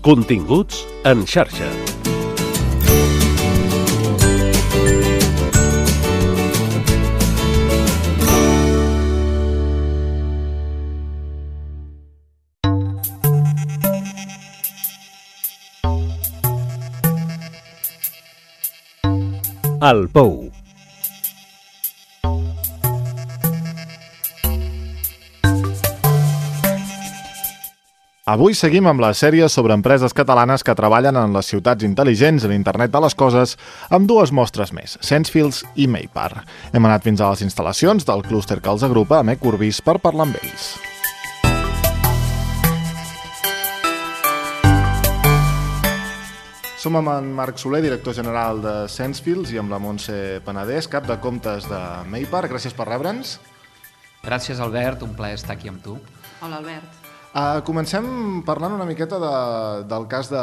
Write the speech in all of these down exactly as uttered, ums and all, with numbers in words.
Continguts en xarxa. El Pou. Avui seguim amb la sèrie sobre empreses catalanes que treballen en les ciutats intel·ligents, en internet de les coses, amb dues mostres més, Sensefields i Maypar. Hem anat fins a les instal·lacions del clúster que els agrupa a Mecorbís per parlar amb ells. Som amb en Marc Soler, director general de Sensefields, i amb la Montse Penedès, cap de comptes de Maypar. Gràcies per rebre'ns. Gràcies, Albert. Un plaer estar aquí amb tu. Hola, Albert. Uh, comencem parlant una miqueta de, del cas de,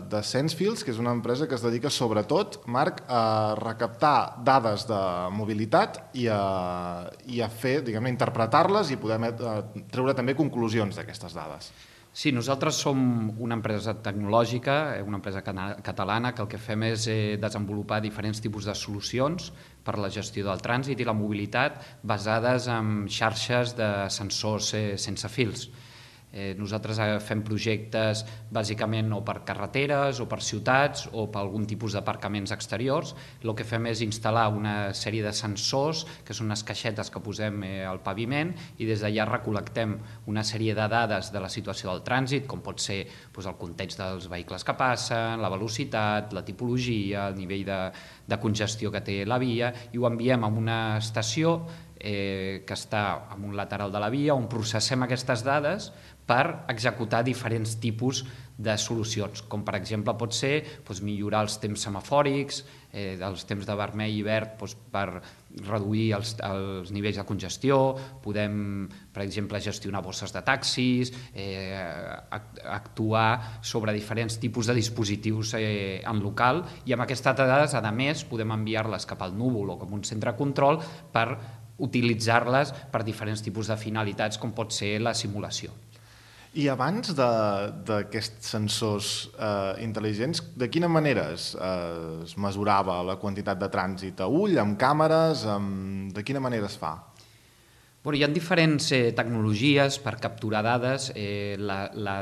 de Sensefields, que és una empresa que es dedica sobretot, Marc, a recaptar dades de mobilitat i a, i a fer, diguem-ne, interpretar-les i poder uh, treure també conclusions d'aquestes dades. Sí, nosaltres som una empresa tecnològica, una empresa catalana, que el que fem és eh, desenvolupar diferents tipus de solucions per a la gestió del trànsit i la mobilitat basades en xarxes de sensors eh, sense fils. Eh, nosaltres fem projectes bàsicament o per carreteres o per ciutats o per algun tipus d'aparcaments exteriors. El que fem és instal·lar una sèrie de sensors, que són unes caixetes que posem eh, al paviment, i des d'allà recol·lectem una sèrie de dades de la situació del trànsit, com pot ser doncs, el context dels vehicles que passen, la velocitat, la tipologia, el nivell de, de congestió que té la via, i ho enviem a una estació eh, que està en un lateral de la via, on processem aquestes dades per executar diferents tipus de solucions, com per exemple pot ser doncs, millorar els temps semafòrics, eh, els temps de vermell i verd doncs, per reduir els, els nivells de congestió, podem, per exemple, gestionar bosses de taxis, eh, actuar sobre diferents tipus de dispositius eh, en local, i amb aquestes dades, a més, podem enviar-les cap al núvol o com un centre de control per utilitzar-les per diferents tipus de finalitats, com pot ser la simulació. I abans d'aquests sensors eh, intel·ligents, de quina manera es, eh, es mesurava la quantitat de trànsit a ull, amb càmeres, amb... de quina manera es fa? Bueno, hi ha diferents eh, tecnologies per capturar dades. Eh, la, la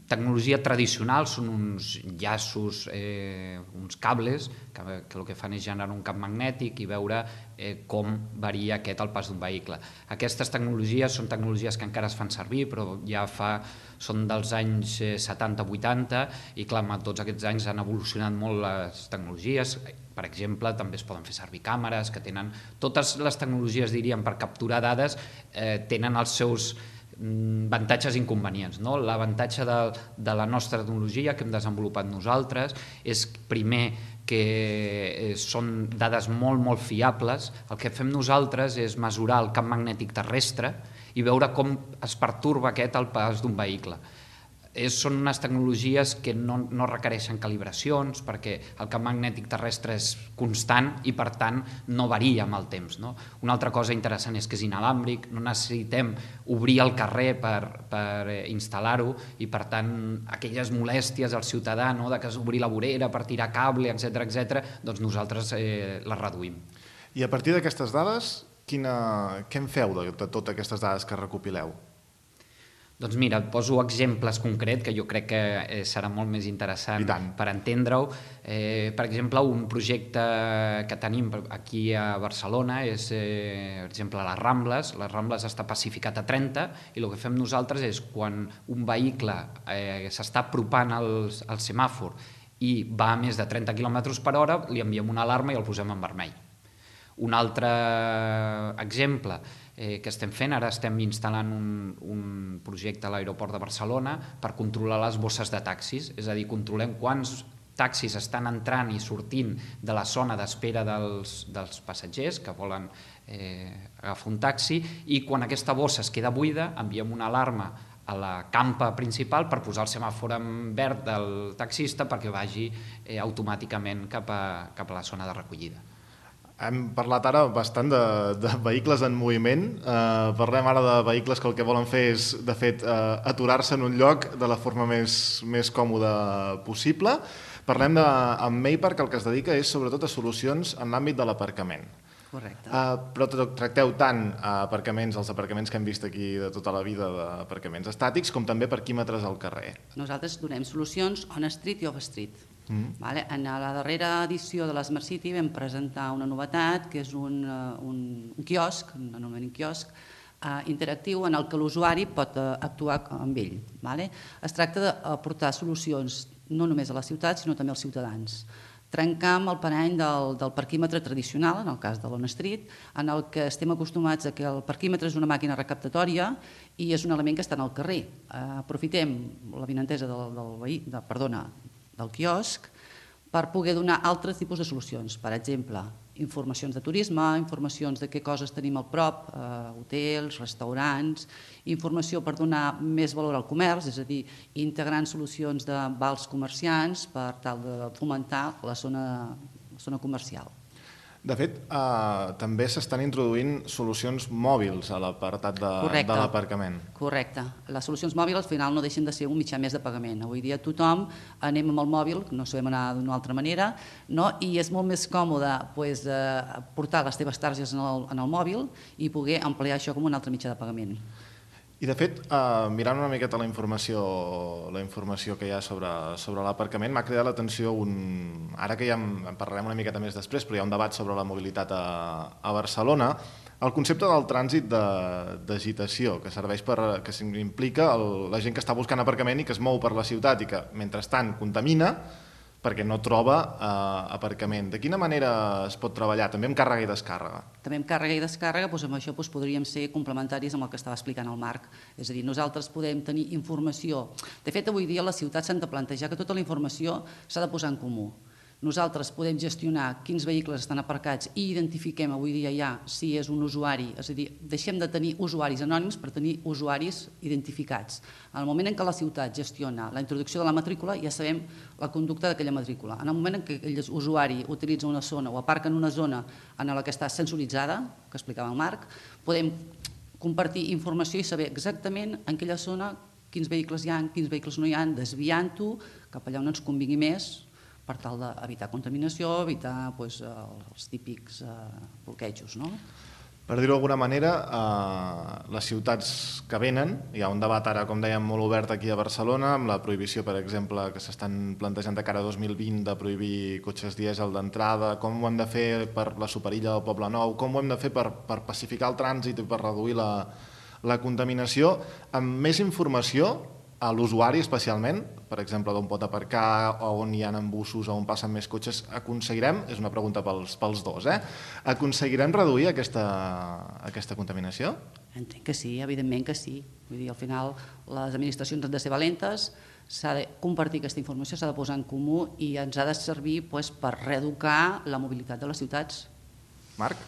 tecnologia tradicional són uns llaços, eh, uns cables, que, que el que fan és generar un camp magnètic i veure eh, com varia aquest al pas d'un vehicle. Aquestes tecnologies són tecnologies que encara es fan servir, però ja fa, són dels anys setanta vuitanta, i clar, en tots aquests anys han evolucionat molt les tecnologies. Per exemple, també es poden fer servir càmeres, que tenen... Totes les tecnologies, diríem, per capturar dades eh, tenen els seus avantatges i inconvenients. No? L'avantatge de, de la nostra tecnologia que hem desenvolupat nosaltres és, primer, que són dades molt, molt fiables. El que fem nosaltres és mesurar el camp magnètic terrestre i veure com es pertorba aquest al pas d'un vehicle. És, són unes tecnologies que no, no requereixen calibracions, perquè el camp magnètic terrestre és constant i per tant no varia amb el temps. No? Una altra cosa interessant és que és inalàmbric, no necessitem obrir el carrer per, per instal·lar-ho, i per tant aquelles molèsties al ciutadà, no? De que s'obrir la vorera per tirar cable, etcètera, etcètera, doncs nosaltres eh, les reduïm. I a partir d'aquestes dades, quina, què en feu de, de totes aquestes dades que recopileu? Doncs mira, et poso exemples concrets que jo crec que eh, serà molt més interessant per entendre-ho. Eh, per exemple, un projecte que tenim aquí a Barcelona és, eh, per exemple, les Rambles. Les Rambles està pacificat a trenta, i el que fem nosaltres és, quan un vehicle eh, s'està apropant al, al semàfor i va a més de trenta quilòmetres per hora, li enviem una alarma i el posem en vermell. Un altre exemple eh, que estem fent, ara estem instal·lant un, un projecte a l'aeroport de Barcelona per controlar les bosses de taxis, és a dir, controlem quants taxis estan entrant i sortint de la zona d'espera dels, dels passatgers que volen eh, agafar un taxi, i quan aquesta bossa es queda buida enviem una alarma a la campa principal per posar el semàfor en verd del taxista perquè vagi eh, automàticament cap a, cap a la zona de recollida. Hem parlat ara bastant de, de vehicles en moviment. Eh, parlem ara de vehicles que el que volen fer és, de fet, eh, aturar-se en un lloc de la forma més, més còmoda possible. Parlem de, amb Maypark, el que es dedica és sobretot a solucions en l'àmbit de l'aparcament. Correcte. Uh, però tracteu tant aparcaments, els aparcaments que hem vist aquí de tota la vida d'aparcaments estàtics, com també parquímetres al carrer. Nosaltres donem solucions on-street i off-street. Mm. Vale? En la darrera edició de l'Smart City vam presentar una novetat, que és un, un, un quiosc, un anomenament quiosc, uh, interactiu en el que l'usuari pot uh, actuar amb ell. Vale? Es tracta d'aportar solucions no només a la ciutat, sinó també als ciutadans. Trencar amb el parany del, del parquímetre tradicional, en el cas de l'on-street, en el que estem acostumats a que el parquímetre és una màquina recaptatòria i és un element que està al carrer. Uh, aprofitem l'avinentesa del, del, veí, de, perdona, del quiosc per poder donar altres tipus de solucions. Per exemple, informacions de turisme, informacions de què coses tenim al prop, eh, hotels, restaurants, informació per donar més valor al comerç, és a dir, integrant solucions de vals comerciants per tal de fomentar la zona, la zona comercial. De fet, eh, també s'estan introduint solucions mòbils a l'apartat de, de l'aparcament. Correcte. Les solucions mòbils al final no deixen de ser un mitjà més de pagament. Avui dia tothom anem amb el mòbil, no sabem anar d'una altra manera, no? I és molt més còmode pues, eh, portar les teves targes en el, en el mòbil i poder ampliar això com un altre mitjà de pagament. I de fet, eh, mirant una miqueta la informació, la informació que hi ha sobre, sobre l'aparcament, m'ha cridat l'atenció un... Ara que ja en parlarem una miqueta més després, però hi ha un debat sobre la mobilitat a, a Barcelona, el concepte del trànsit d'agitació, que serveix per... que implica el, la gent que està buscant aparcament i que es mou per la ciutat i que, mentrestant, contamina perquè no troba eh, aparcament. De quina manera es pot treballar? També amb càrrega i descàrrega? També amb càrrega i descàrrega, doncs amb això doncs, podríem ser complementaris amb el que estava explicant el Marc. És a dir, nosaltres podem tenir informació. De fet, avui dia les ciutats s'han de plantejar que tota la informació s'ha de posar en comú. Nosaltres podem gestionar quins vehicles estan aparcats i identifiquem avui dia ja si és un usuari, és a dir, deixem de tenir usuaris anònims per tenir usuaris identificats. En el moment en què la ciutat gestiona la introducció de la matrícula, ja sabem la conducta d'aquella matrícula. En el moment en què aquell usuari utilitza una zona o aparca en una zona en la que està sensoritzada, que explicava el Marc, podem compartir informació i saber exactament en aquella zona quins vehicles hi ha, quins vehicles no hi ha, desviant-ho cap allà on ens convingui més, per tal d'evitar contaminació, evitar doncs, els típics eh, bloquejos. No? Per dir-ho d'alguna manera, eh, les ciutats que venen, hi ha un debat ara, com dèiem, molt obert aquí a Barcelona, amb la prohibició, per exemple, que s'estan plantejant de cara a dos mil vint de prohibir cotxes dièsel d'entrada, com ho hem de fer per la Superilla del Poble Nou, com ho hem de fer per, per pacificar el trànsit i per reduir la, la contaminació, amb més informació a l'usuari especialment, per exemple, d'on pot aparcar, o on hi ha embussos, o on passen més cotxes, aconseguirem, és una pregunta pels, pels dos, eh? aconseguirem reduir aquesta, aquesta contaminació? Entenc que sí, evidentment que sí. Vull dir, al final les administracions han de ser valentes, s'ha de compartir aquesta informació, s'ha de posar en comú i ens ha de servir doncs, per reeducar la mobilitat de les ciutats. Marc?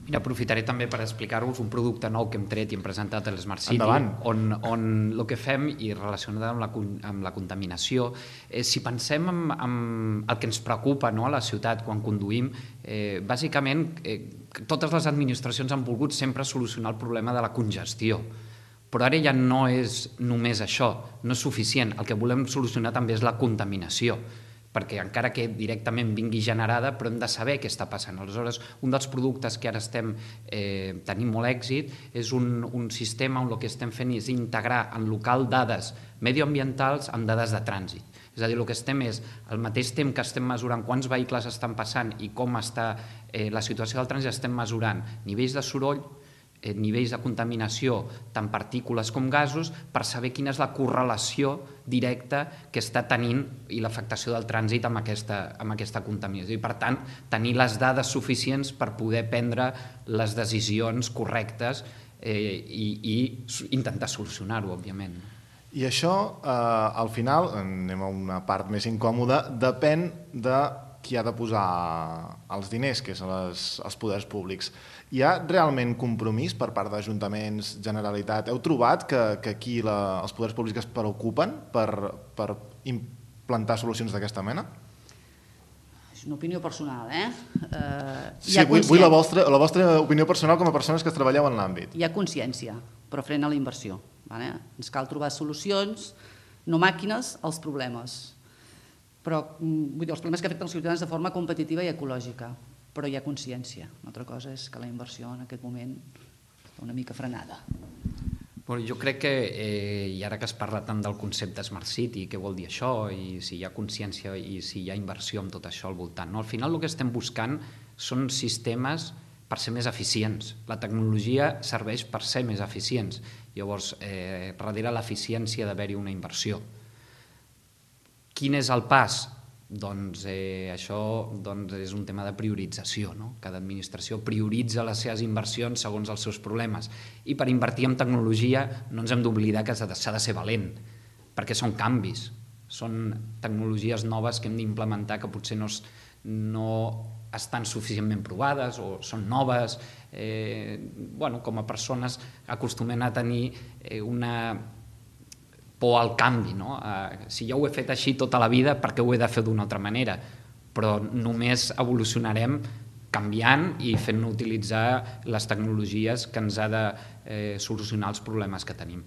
Mira, aprofitaré també per explicar-vos un producte nou que hem tret i hem presentat a l'Smart City, Endavant. on, on el que fem, i relacionat amb la, amb la contaminació, eh, si pensem en, en el que ens preocupa no, a la ciutat quan conduïm, eh, bàsicament eh, totes les administracions han volgut sempre solucionar el problema de la congestió, però ara ja no és només això, no és suficient, el que volem solucionar també és la contaminació, perquè encara que directament vingui generada, però hem de saber què està passant. Aleshores, un dels productes que ara estem eh, tenint molt èxit és un, un sistema on el que estem fent és integrar en local dades medioambientals amb dades de trànsit. És a dir, el que estem és, al mateix temps que estem mesurant quants vehicles estan passant i com està eh, la situació del trànsit, estem mesurant nivells de soroll, eh, nivells de contaminació, tant partícules com gasos, per saber quina és la correlació directa que està tenint i l'afectació del trànsit amb aquesta, amb aquesta contaminació. I, per tant, tenir les dades suficients per poder prendre les decisions correctes eh, i, i intentar solucionar-ho, òbviament. I això, eh, al final, anem a una part més incòmoda, depèn de qui ha de posar els diners, que són les, els poders públics. Hi ha realment compromís per part d'ajuntaments, Generalitat? Heu trobat que, que aquí la, els poders públics es preocupen per, per implantar solucions d'aquesta mena? una opinió personal, eh? eh sí, vull, vull la, vostra, la vostra opinió personal com a persones que treballeu en l'àmbit. Hi ha consciència, però frena la inversió. Vale? Ens cal trobar solucions, no màquines, als problemes. Però vull dir, els problemes que afecten els ciutadans de forma competitiva i ecològica, però hi ha consciència. Una altra cosa és que la inversió en aquest moment està una mica frenada. Bueno, jo crec que, eh, i ara que es parla tant del concepte Smart City, què vol dir això, i si hi ha consciència i si hi ha inversió en tot això al voltant, no? Al final el que estem buscant són sistemes per ser més eficients. La tecnologia serveix per ser més eficients. Llavors, eh, darrere l'eficiència d'haver-hi una inversió. Quin és el pas? Doncs eh, això doncs és un tema de priorització, no? Cada administració prioritza les seves inversions segons els seus problemes. I per invertir en tecnologia no ens hem d'oblidar que s'ha de, de ser valent, perquè són canvis, són tecnologies noves que hem d'implementar que potser no, no estan suficientment provades o són noves. Eh, bueno, com a persones acostumem a tenir eh, una por al canvi, no? Eh, si jo ho he fet així tota la vida, per què ho he de fer d'una altra manera? Però només evolucionarem canviant i fent utilitzar les tecnologies que ens ha de eh, solucionar els problemes que tenim.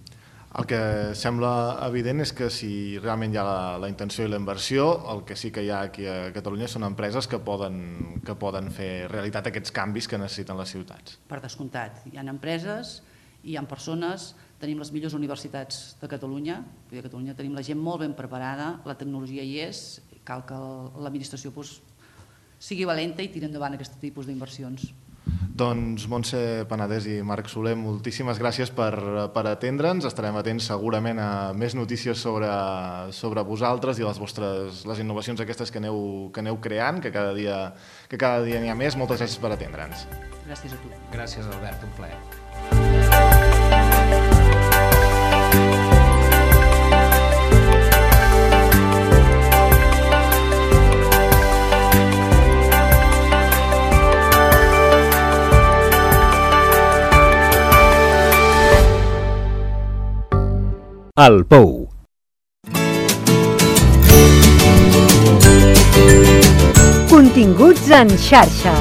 El que sembla evident és que si realment hi ha la, la intenció i la inversió, el que sí que hi ha aquí a Catalunya són empreses que poden, que poden fer realitat aquests canvis que necessiten les ciutats. Per descomptat, hi ha empreses, hi ha persones, tenim les millors universitats de Catalunya, a Catalunya tenim la gent molt ben preparada, la tecnologia hi és, cal que l'administració doncs, sigui valenta i tiri endavant aquest tipus d'inversions. Doncs Montse Penedès i Marc Soler, moltíssimes gràcies per, per atendre'ns. Estarem atents segurament a més notícies sobre, sobre vosaltres i les vostres les innovacions aquestes que aneu, que aneu creant, que cada dia que cada dia n'hi ha més. Moltes gràcies per atendre'ns. Gràcies a tu. Gràcies, Albert, un plaer. El Pou. Continguts en xarxa.